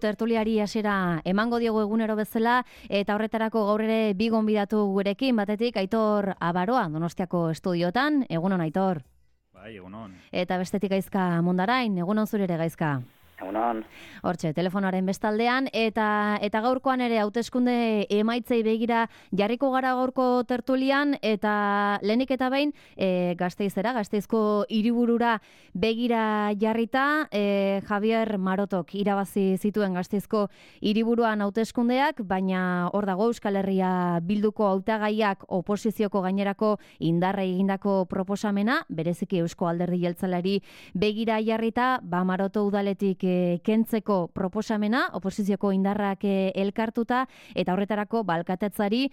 Tertuliari hasiera emango diogu egunero bezala eta horretarako gaur ere bi gonbidatu gurekin, batetik Aitor Abaroa Donostiako estudiotan. Egunon, Aitor. Bai, egunon. Eta bestetik Gaizka Mundarain. Egunon zure ere, Gaizka. Egunon. Hortxe, telefonoaren bestaldean, eta gaurkoan ere hauteskunde emaitzei begira jarriko gara gaurko tertulian, eta lehenik eta behin Gasteizera, Gasteizko hiriburura begira jarrita, Javier Marotok irabazi zituen Gasteizko hiriburuan hauteskundeak, baina hor dago Euskal Herria Bilduko hautagaiak oposizioko gainerako indarrei egindako proposamena, bereziki Eusko Alderdi Jeltzaleari begira jarrita, Maroto udaletik kentzeko proposamena, oposizioko indarrak elkartuta, eta horretarako alkatetzari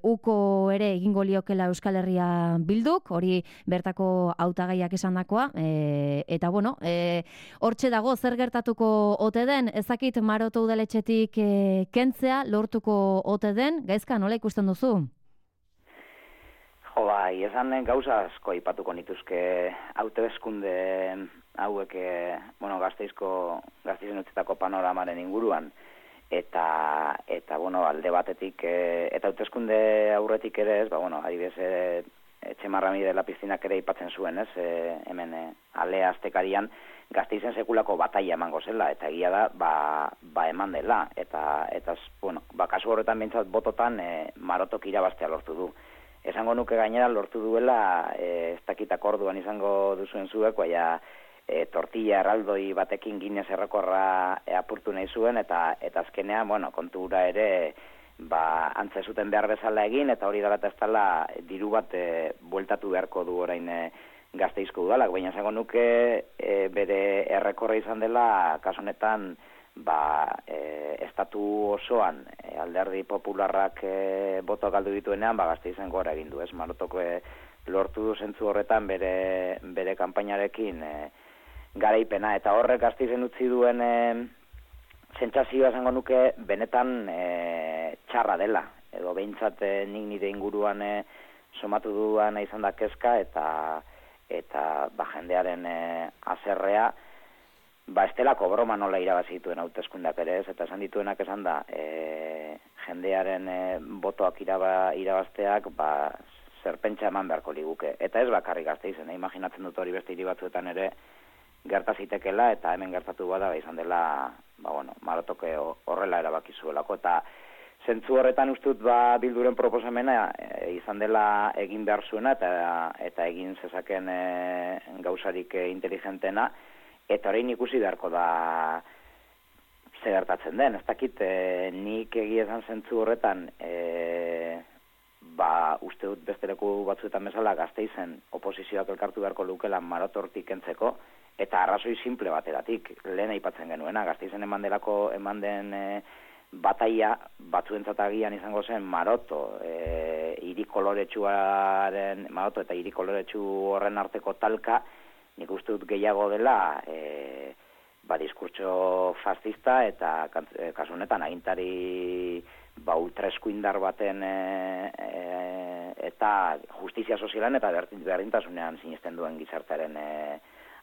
uko ere egingo liokela Euskal Herria Bilduk, hori bertako hautagaiak esandakoa, eta bueno, hortxe dago zer gertatuko ote den, ezakit Maroto udaletxetik kentzea lortuko ote den, Gaizka, nola ikusten duzu? Jo, bai, esan gauza asko aipatuko nituzke hauteskunde hauek, Gasteizen utzitako panoramaren inguruan, eta alde batetik, eta hauteskunde aurretik ere ez, adibidez, Etxemarrami de la Piztinak ere aipatzen zuen, ez, hemen ale aztekarian Gasteizen sekulako bataia emango zela, eta egia da, eman dela, eta kasu horretan behintzat bototan Marotok irabaztea lortu du. Esango nuke gainera lortu duela, ez dakitak orduan izango duzuen zuek, baina tortilla erraldoi batekin ginez errekorra apurtu nahi zuen, eta azkenean, kontura ere, antze zuten behar bezala egin, eta hori dela eta ez dela diru bat bueltatu beharko du orain Gasteizko udalak, baina esango nuke bere errekorra izan dela, kasu honetan, estatu osoan Alderdi Popularrak boto galdu dituenean, Gasteizen gora egin du, ez? Marotok lortu du zentzu horretan bere kanpainarekin garaipena, eta horrek Gasteizen utzi duen sentsazioa esango nuke benetan txarra dela, edo behintzat nik nire inguruan somatu duan izan da kezka, eta jendearen haserrea, estelako broma nola irabazi dituen hauteskundeak ere ez, eta esan dituenak esan da, jendearen botoak irabazteak, zerpentsa eman beharko liguke. Eta ez bakarrik Gasteizen, imaginatzen dut hori beste hiri batzuetan ere gertazitekela, eta hemen gertatu bada izan dela, Marotok horrela erabaki zuelako, eta zentzu horretan uste dut Bilduren proposamena izan dela egin behar zuena, eta egin zezaken gauzarik inteligentena, eta orain ikusi beharko da ze gertatzen den. Ez dakit, nik egia esan zentzu horretan, uste dut beste leku batzuetan bezala Gasteizen oposizioak elkartu beharko lukela Marotortik kentzeko, eta arrazoi simple bateratik, lehen aipatzen genuena, Gasteizen eman den bataia batzuentzat agian izango zen Maroto, Maroto eta hiri koloretsu horren arteko talka, nik uste dut gehiago dela diskurtso fascista eta kasu honetan agintari ultraeskuindar baten eta justizia sozialan eta berdintasunean sinesten duen gizartearen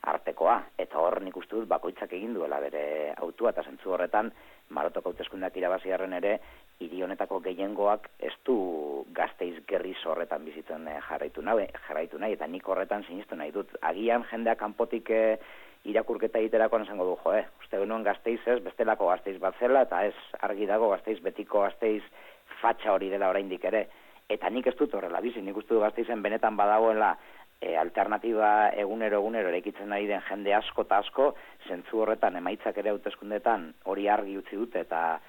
artekoa. Eta hor nik uste dut bakoitzak egin duela bere autua, eta zentzu horretan Marotoko hauteskundeak irabaziarren ere hiri honetako gehiengoak ez du Gasteiz gerriz horretan bizitzen jarraitu nahi, eta nik horretan sinestu nahi dut. Agian jendeak kanpotik irakurketa egiterakoan esango du, uste genuen Gasteiz ez, bestelako Gasteiz bat zela, eta ez argi dago Gasteiz betiko Gasteiz fatxa hori dela oraindik ere. Eta nik ez dut horrela bizi, nik uste du Gasteizen benetan badagoela alternatiba egunero eraikitzen ari den jende asko eta asko, zentzu horretan emaitzak ere hauteskundetan hori argi utzi dute, eta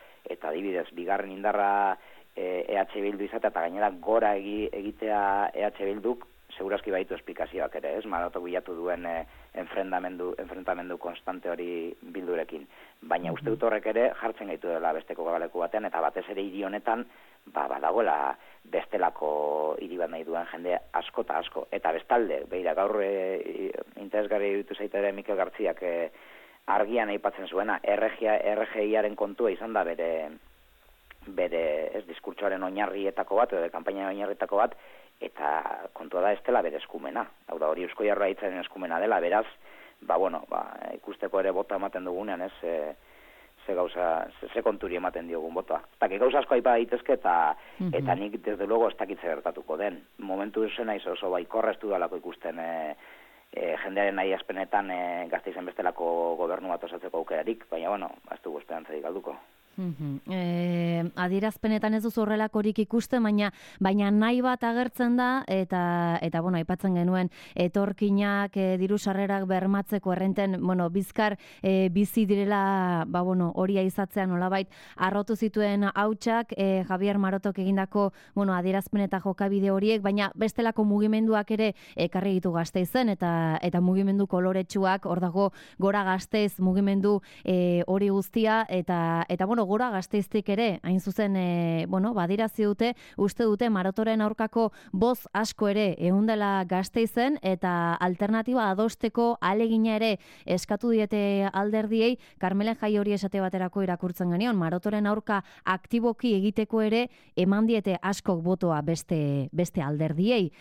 adibidez, bigarren indarra EH Bildu izatea, eta gainera gora egitea EH Bilduk, segurazki baitu esplikazioak ere, ez? Marotok bilatu duen enfrentamendu konstante hori Bildurekin. Baina uste dut horrek ere jartzen gaitu dela besteko gabaleku batean, eta batez ere hiri honetan, badagoela bestelako hiri bat nahi duen jende asko eta asko. Eta bestalde, beira, gaur interesgarri ditu zaite ere Mikel Gartziak argian aipatzen zuena, RGIaren kontua izan da bere diskurtsoaren oinarrietako bat, edo kanpaina oinarrietako bat, eta kontua da ez dela bere eskumena. Hau da, hori Eusko Jaurlaritzaren eskumena dela, beraz, ikusteko ere bota ematen dugunean, ez, ze konturi ematen diogun botoa. Eta gauza asko aipa daitezke eta nik desde luego ez dakitze gertatuko den. Momentu zen naiz oso baikorra ez dudalako ikusten jendearen nahi aspenetan Gasteizen bestelako gobernu bat osatzeko aukerarik, baina bueno, ez dugu esperantzarik galduko. Adierazpenetan ez duzu horrelakorik ikusten, baina nahi bat agertzen da eta bueno, aipatzen genuen etorkinak diru sarrerak bermatzeko errenten, bueno, bizkar bizi direla, bueno, hori aizatzea nolabait arrotu zituen hautsak Javier Marotok egindako, bueno, adierazpen eta jokabide horiek, baina bestelako mugimenduak ere ekarri ditu Gasteizen eta mugimendu koloretsuak, hor dago Gora Gasteiz mugimendu hori guztia eta bueno, Gora Gasteiztik ere, hain zuzen, bueno, badirazi dute, uste dute Marotoren aurkako boz asko ere eundela Gasteizen eta alternatiba adosteko alegina ere eskatu diete alderdiei. Carmelen Jai hori esate baterako irakurtzen genion, Marotoren aurka aktiboki egiteko ere eman diete askok botoa beste alderdiei.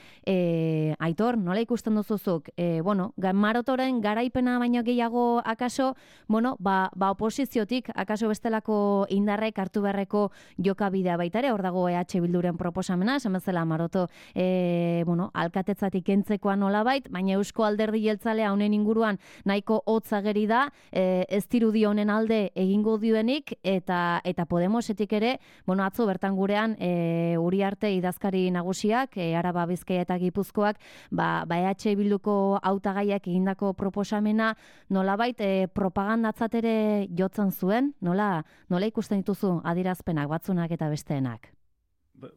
Aitor, nola ikusten duzuzuk? Bueno, Marotoren garaipena baino gehiago akaso, bueno, ba oposiziotik akaso bestelako indarrek hartu beharreko jokabidea baita ere, hor dago EH Bilduren proposamena, esan bezala Maroto, bueno, alkatetzatik kentzekoa nolabait, baina Eusko Alderdi Jeltzalea honen inguruan nahiko hotz ageri da, ez dirudi honen alde egingo duenik eta Podemosetik ere, bueno, atzo bertan gurean Uriarte idazkari nagusiak, Araba, Bizkaia eta Gipuzkoak, ba EH Bilduko hautagaiak egindako proposamena nolabait propagandatzat ere jotzen zuen, nola ikusten dituzu adierazpenak batzunak eta besteenak?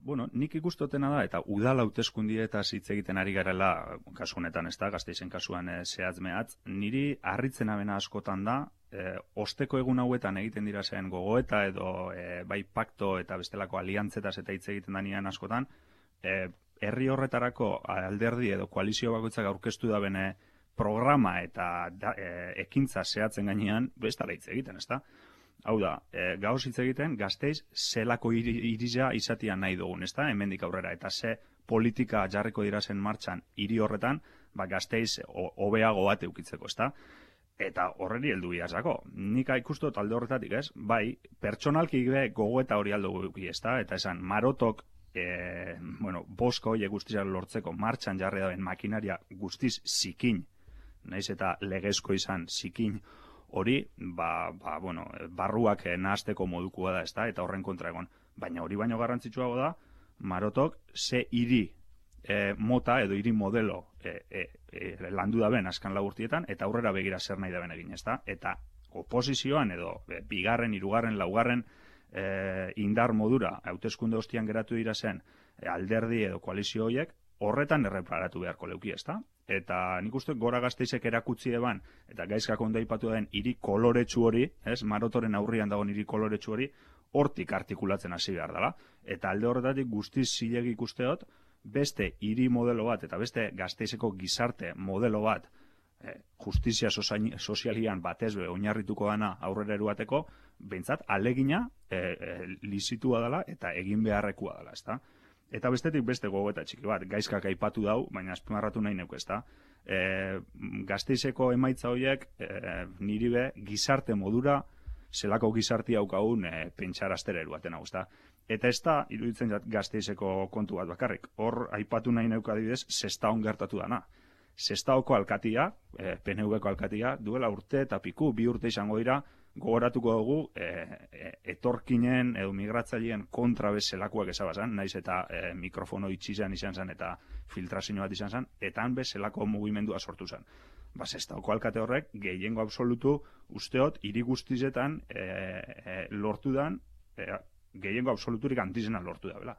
Bueno, nik ikustotena da, eta udal hauteskundietaz hitz egiten ari garela, kasu honetan ez da, Gasteizen kasuan zehatz mehatz, niri harritzen abena askotan da, osteko egun hauetan egiten dira zen gogoeta edo bai pakto eta bestelako aliantzetaz eta hitz egiten danian askotan, herri horretarako alderdi edo koalizio bakoitzak aurkeztu da bene programa eta ekintza zehatzen gainean, bestala hitz egiten, ez da? Hau da, gauz hitz egiten, Gasteiz zelako irisa izatia nahi dugun, ez da, hemendik aurrera, eta ze politika jarriko dira zen martxan hiri horretan, ba Gasteiz hobeago bat eukitzeko, ez da? Eta horreri heldu biazako. Nik ikustot alde horretatik, ez? Bai, pertsonalki gogoeta hori aldo guki, ez da? Eta esan, Marotok, bueno, bosko horiek guztizak lortzeko martxan jarri dauen makinaria guztiz zikin, naiz eta legezko izan zikin, hori, bueno, barruak nahasteko modukoa da, ezta, eta horren kontra egon. Baina hori baino garrantzitsuago da, Marotok ze hiri mota edo hiri modelo landu da ben azkan laburtietan, eta aurrera begira zer nahi da ben egin, ezta? Eta oposizioan edo bigarren, hirugarren, laugarren indar modura, hauteskunde ostian geratu dira zen alderdi edo koalizio horiek, horretan erreparatu beharko leuki, ezta? Eta nik uste Gora Gasteizek erakutsi eban, eta gaizkak ondo aipatu den hiri koloretsu hori, ez, Marotoren aurrian dagoen hiri koloretsu hori, hortik artikulatzen hasi behar dela. Eta alde horretatik guztiz zilegi ikusteot, beste hiri modelo bat, eta beste Gasteizeko gizarte modelo bat, justizia sozialian batez be oinarrituko dana aurrera eruateko, behintzat alegina lizitua dela eta egin beharrekoa dela, ezta? Eta bestetik beste gogoeta txiki bat, gaizkak aipatu dau, baina azpimarratu nahi neuk, ezta? Gasteizeko emaitza horiek niri be gizarte modura zelako gizarti haukagun pentsaraztera eruaten hau, ezta? Eta ez da, iruditzen Gasteizeko kontu bat bakarrik. Hor aipatu nahi neuk adibidez, Sestaon gertatu dana. Sestaoko alkatia, PNV-ko alkatia, duela urte eta piku, 2 urte izango dira, gogoratuko dugu etorkinen edo migratzaileen kontra bezalakoak ezabazan, naiz eta mikrofono itxizan izan zen eta filtrazio bat izan zen, eta han bezalako mugimendua sortu zen. Sestaoko alkate horrek, gehiengo absolutu, usteot, hiri guztizetan lortu dan, gehiengo absoluturik antizena lortu da, bela.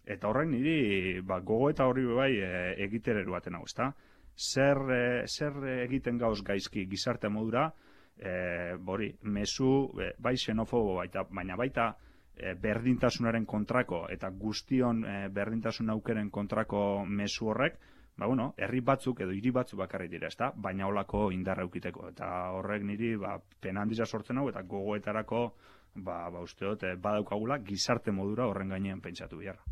Eta horrek niri gogo eta horri bai egitereru baten hau, ezta? Zer egiten gauz gaizki gizarte modura, mezu bai xenofobo baina baita berdintasunaren kontrako eta guztion berdintasun aukeren kontrako mezu horrek, herri batzuk edo hiri batzuk bakarrik dira, ezta? Baina holako indarra eukiteko. Eta horrek niri pena handia sortzen hau eta gogoetarako usteot badaukagula gizarte modura horren gainean pentsatu biharra.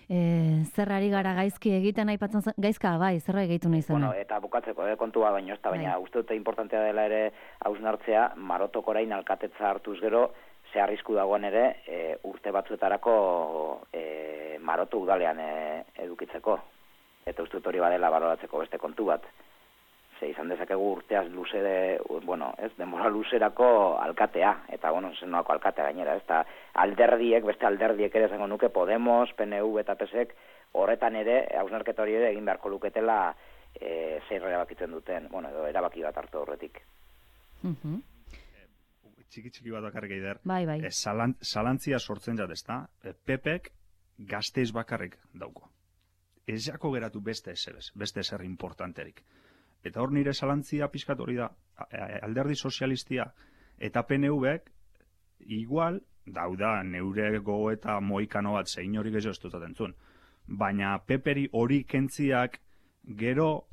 zer ari gara gaizki egiten aipatzen gaizka, bai, zer egiten nahi zen. Bueno, eta bukatzeko kontua baino ez da, baina uste dute importantea dela ere hausnartzea, Marotok orain alkatetza hartuz gero, ze arrisku dagoen ere urte batzuetarako Maroto udalean edukitzeko. Eta uste dut hori badela baloratzeko beste kontu bat. Ze izan dezakegu urteaz denbora luzerako alkatea, eta zenolako alkatea gainera, ez da beste alderdiek ere zango nuke, Podemos, PNV eta PSek, horretan ere, hausnarketa hori ere egin beharko luketela zer erabakitzen duten, edo erabaki bat hartu horretik. Txiki bat bakarrik eider. Bai. Zalantzia sortzen jat, ezta? Pepek Gasteiz bakarrik dauko. Ez jako geratu beste ezer importanterik. Eta hor nire zalantzia pixkat hori da, alderdi sozialistia eta PNV-ek igual dauda neure gogoeta moikano bat zein hori gehiago ez dut entzun. Baina peperi hori kentziak gero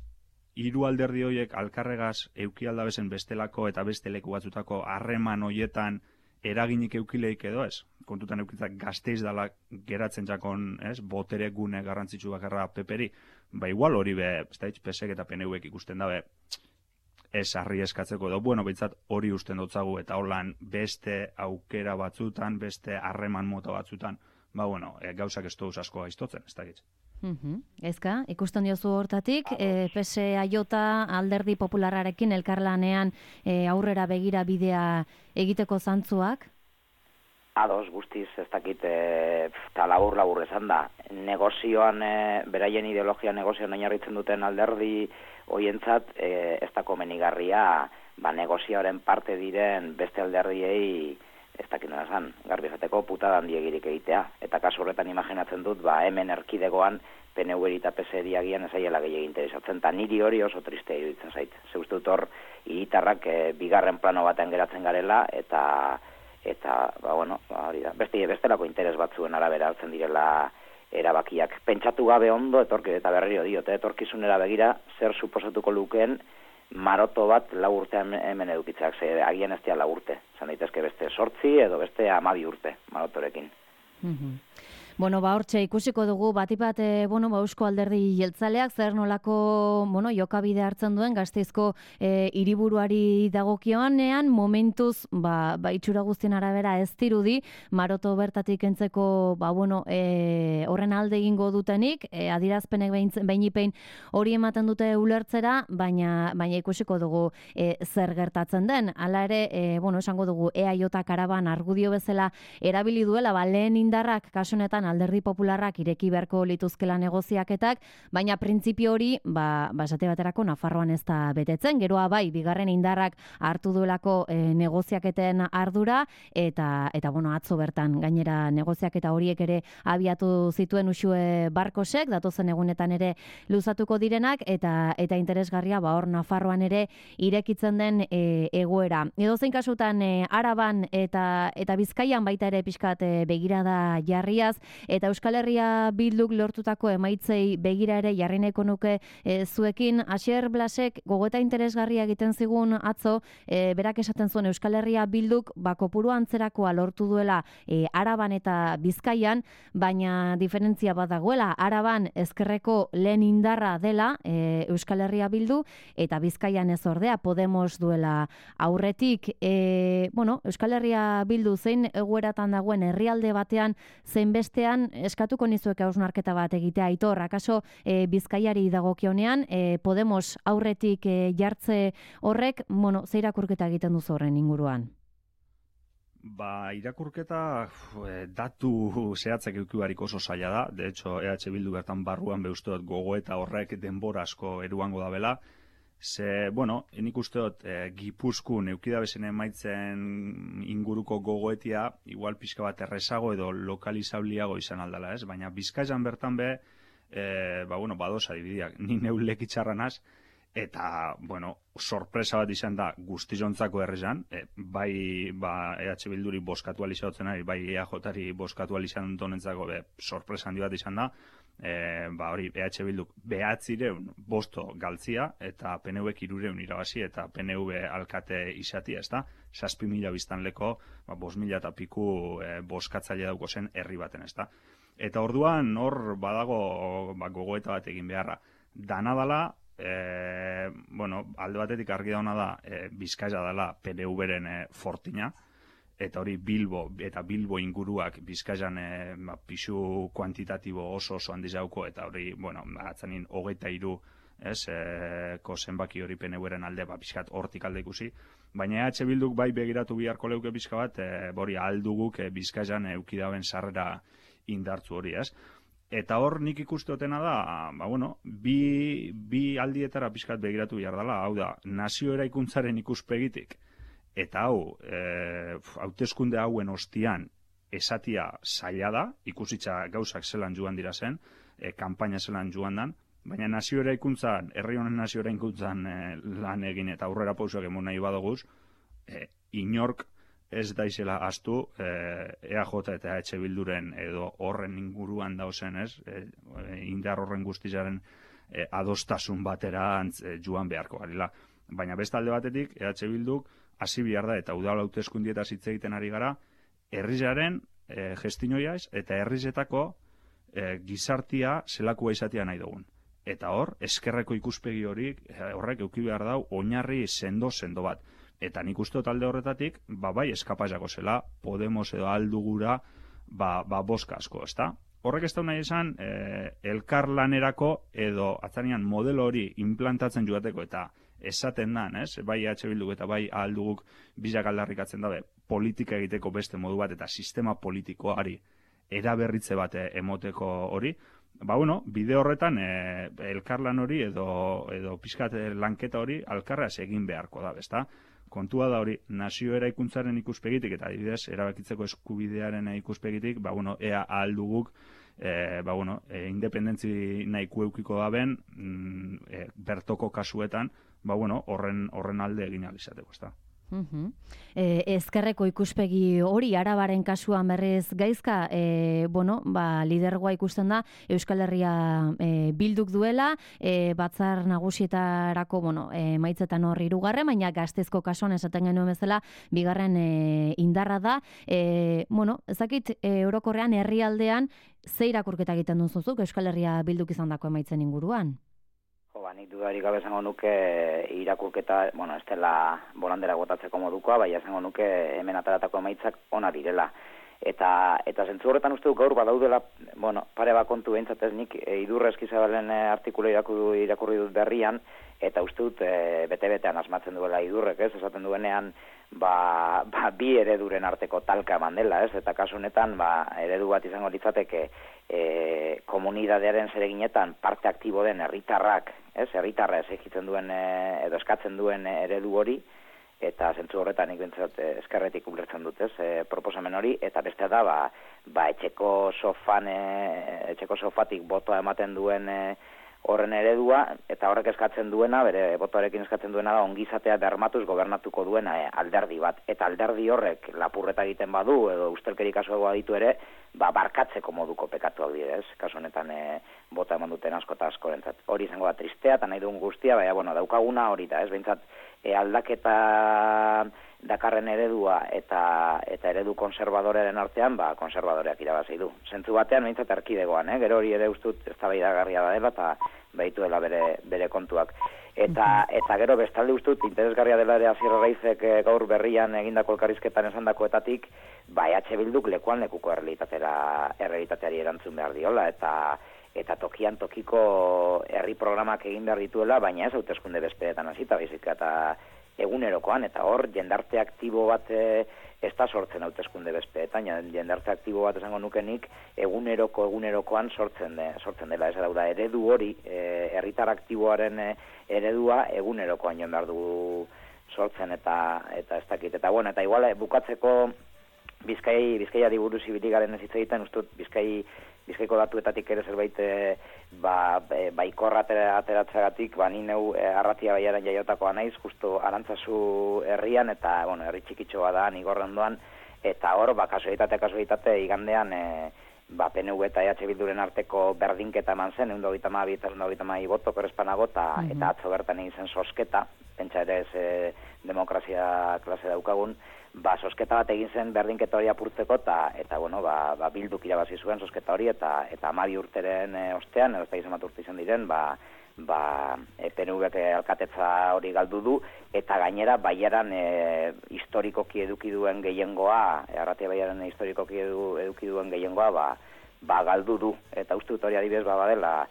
hiru alderdi horiek alkarregaz eukialda bezen bestelako eta beste leku batzutako harreman horietan eraginik eukileik edo ez. Kontutan eukitzak Gasteiz dala geratzen jakon, botere gune garrantzitsu bakarra peperi. Ba igual hori PSek eta PNVek ikusten dabe ez harri eskatzeko edo, behintzat hori usten dutzagu eta holan beste aukera batzutan, beste harreman mota batzutan, gauzak ez duz asko gaiztotzen, ez da gitz. Ezka, ikusten diozu hortatik, PSAJ alderdi popularrarekin elkarlanean aurrera begira bidea egiteko zantzuak? Ados, guztiz, ez dakit, eta labur esan da. Negozioan, beraien ideologia negozioan oinarritzen duten alderdi hoientzat, ez da komenigarria, negozioaren parte diren beste alderdiei, ez dakit nola esan, garbi esateko putada handiegirik egitea. Eta kasu horretan imaginatzen dut, hemen erkidegoan, PNV eta PSeri agian ezaiela gehiagin interesatzen, eta niri hori oso tristea iruditzen zait. Ze uste dut hor, hiritarrak bigarren plano batean geratzen garela, eta hori da, bestelako interes batzuen arabera hartzen direla erabakiak. Pentsatu gabe ondo, eta berriro diote, etorkizunera begira, zer suposatuko lukeen Maroto bat 4 urte hemen edukitzeak, ze agian ez dira 4 urte. Zan daitezke beste 8 edo beste 12 urte Marotorekin. Hortxe ikusiko dugu batipat Eusko Alderdi Jeltzaleak zer nolako jokabide hartzen duen Gasteizko hiriburuari dagokionean momentuz itxura guztien arabera ez dirudi Maroto bertatik entzeko horren alde egingo dutenik adierazpenek behin hori ematen dute ulertzera, baina ikusiko dugu zer gertatzen den. Hala ere, esango dugu EAJ karaban argudio bezala erabili duela, lehen indarrak kasunetan alderdi popularrak ireki beharko lituzkela negoziaketak, baina printzipio hori, esate baterako Nafarroan ez da betetzen, geroa bigarren indarrak hartu duelako negoziaketen ardura, eta atzo bertan gainera negoziaketa horiek ere abiatu zituen Uxue Barkosek, datozen egunetan ere luzatuko direnak, eta interesgarria hor Nafarroan ere irekitzen den egoera. Edozein kasutan Araban eta Bizkaian baita ere pixkat begirada jarriaz, eta Euskal Herria Bilduk lortutako emaitzei begira ere jarri nahiko nuke zuekin. Asier Blasek gogoeta interesgarria egiten zigun atzo, berak esaten zuen Euskal Herria Bilduk kopuru antzerakoa lortu duela Araban eta Bizkaian, baina diferentzia bat dagoela. Araban ezkerreko lehen indarra dela Euskal Herria Bildu, eta Bizkaian ez ordea Podemos duela aurretik. Euskal Herria Bildu zein egoeratan dagoen herrialde batean zein bestean eskatuko nizueke hausnarketa bat egitea, Aitor, akaso Bizkaiari dagokionean Podemos aurretik jartze horrek, ze irakurketa egiten duzu horren inguruan? Irakurketa datu zehatzak eukibarik oso zaila da. De hecho, EH Bildu bertan barruan beuzteot gogoeta horrek denbora asko eruango da bela. Nik usteot Gipuzkoan eukidabesen emaitzen inguruko gogoetia igual pixka bat errezago edo lokalizabliago izan aldala, ez? Baina Bizkaian bertan badosa dibidiak. Ni neulek itxarranaz, eta, sorpresa bat izan da guztizontzako errezan, EH Bilduri boskatu alizatzen ari, bai EAJ-ari boskatu alizan donentzako sorpresa handi bat izan da, EH Bilduk 900 galtzia, eta PNV 300 irabazi, eta PNV alkate izatia, ez da? 7.000 biztanleko, 5.000 eta piku boskatzaile dauko zen herri baten, ez da? Eta orduan hor badago gogoeta bat egin beharra. Dana dala, alde batetik argi dauna da, Bizkaia dela PNV-ren fortina, eta hori Bilbo inguruak Bizkaian pisu kuantitatibo oso handiz jauko, eta hori, atzanin 23 ko zenbaki hori PNV-ren alde, pixkat hortik alde ikusi, baina EH Bilduk bai begiratu biharko leuke pixka bat, hori alduguk Bizkaian eukidaben sarrera indartzu hori, Eta hor nik ikusteotena da, bi aldietara pixkat begiratu behar dela, hau da, nazio eraikuntzaren ikuspegitik, eta hau, hauteskunde hauen ostian esatia zaila da, ikusitza gauzak zelan joan dira zen, kanpaina zelan joan dan, baina nazio eraikuntzan, herri honen nazio eraikuntzan lan egin eta aurrera pausoak emon nahi badoguz, inork ez daizela astu EAJ eta EH Bilduren edo horren inguruan dauzen, indar horren guztizaren adostasun batera joan beharko garila. Baina beste alde batetik, EH Bilduk hasi behar da, eta udal hauteskundietaz hitz egiten ari gara, herrizaren gestinoiaz eta herrizetako gizartia zelakua izatea nahi dugun. Eta hor, eskerreko ikuspegi horrek euki behar dau oinarri sendo bat. Eta nik uste talde horretatik, bai eskapazako zela, Podemos edo aldugura, boska asko, ezta? Horrek ez da nahi esan, elkarlanerako edo atzanean modelo hori implantatzen joateko eta esaten dan, bai EH Bilduk eta bai alduguk bizak aldarrikatzen dabe, politika egiteko beste modu bat eta sistema politikoari eraberritze bat emoteko hori, bide horretan elkarlan hori edo pixkat lanketa hori alkarraz egin beharko da, ezta? Kontua da hori, nazio eraikuntzaren ikuspegitik eta adibidez erabakitzeko eskubidearen ikuspegitik, ea alduguk independentzi nahiko eukiko daben bertoko kasuetan, horren alde egin alizateko, ezta? Ezkerreko ikuspegi hori Arabaren kasuan berriz gaizka, lidergoa ikusten da Euskal Herria Bilduk duela, batzar nagusietarako, maitzetan hor 3, baina Gaztezko kasuan esaten genuen bezala, 2. indarra da. Ezakit orokorrean herrialdean ze irakurketa egiten duzuzuk Euskal Herria Bilduk izandako emaitzen inguruan? Nik dudarik gabe esango nuke irakurketa, ez dela bolandera gotatzeko modukoa, bai esango nuke hemen ataratako emaitzak ona direla. Eta zentzu horretan uste dut gaur badaudela, pare bat kontu behintzat ez nik Idurre Eskizabalen artikulu irakurri dut berrian, eta uste dut bete-betean asmatzen duela Idurrek, esaten duenean, bi ereduren arteko talka eman dela, eta kasu honetan, eredu bat izango litzateke komunidadearen zereginetan parte aktibo den herritarrak, herritarra exigitzen duen edo eskatzen duen eredu hori, eta zentzu horretan nik bintzat eskerretik ulertzen dut, proposamen hori, eta beste da, etxeko sofatik botoa ematen duen horren eredua, eta horrek eskatzen duena, bere botoarekin eskatzen duena da, ongizatea bermatuz gobernatuko duena alderdi bat. Eta alderdi horrek lapurreta egiten badu, edo ustelkeri kasuagoa ditu ere, barkatzeko moduko pekatuak direz, kasu honetan bota eman duten asko eta askorentzat. Hori izango da tristea, eta nahi dugun guztia, daukaguna hori da, behintzat aldaketa dakarren eredua eta eredu konservadorearen artean, konservadoreak irabazi du. Zentzu batean, behintzat erkidegoan, gero hori ere ustut eztabaidagarria da dela, eta behitu dela bere kontuak. Eta gero bestalde ustut, interesgarria dela ere Asier Arraizek gaur berrian egindako elkarrizketan esandakoetatik, EH Bilduk lekuan lekuko errealitateari erantzun behar diola, eta tokian tokiko herri programak egin behar dituela, baina ez hauteskunde bezperetan hasita baizik eta egunerokoan, eta hor jendarte aktibo bat ez da sortzen hauteskunde bezperetan, jendarte aktibo bat esango nukenik egunerokoan sortzen dela, ez da eredu hori, herritar aktiboaren eredua egunerokoan joan behar du sortzen eta ez dakit, eta igual bukatzeko Bizkaiari buruz ibili garen ez hitz egiten, ustut Bizkaiko datuetatik ere zerbait baikorra ateratzeagatik, ni neu Arratia Baiaran jaiotakoa naiz, justu Arantzazu herrian, eta herri txikitxoa da, Nigorrendoan, eta hor, kasualitate igandean PNV eta EH Bilduren arteko berdinketa eman zen, 122 boto korrespanago, eta atzo bertan egin zen sosketa, pentsa ere ez demokrazia klase daukagun, sosketa bat egin zen berdinketa hori apurtzeko, eta bueno, Bilduk irabazi zuen sosketa hori, eta 12 urteren ostean, ez da izan bat urte izan diren, PNV-ek alkatetza hori galdu du, eta gainera Baiaran historikoki eduki duen gehiengoa, Arratia Baiaran historikoki eduki duen gehiengoa, galdu du, eta uste dut hori adibidez badela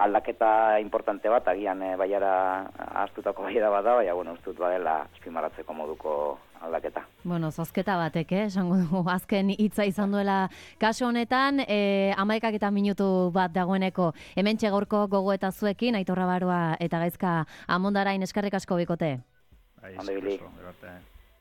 aldaketa importante bat, agian Baiara ahaztutako Baiara bada, baina bueno, uste dut badela azpimarratzeko moduko aldaketa. Bueno, zozketa batek, esango dugu, azken hitza izan duela kasu honetan, 11 minutu bat dagoeneko, hementxe gaurko gogoeta zuekin, Aitor Rabaroa eta Gaizka Amondarain eskerrik asko bikote. Ondo ibili.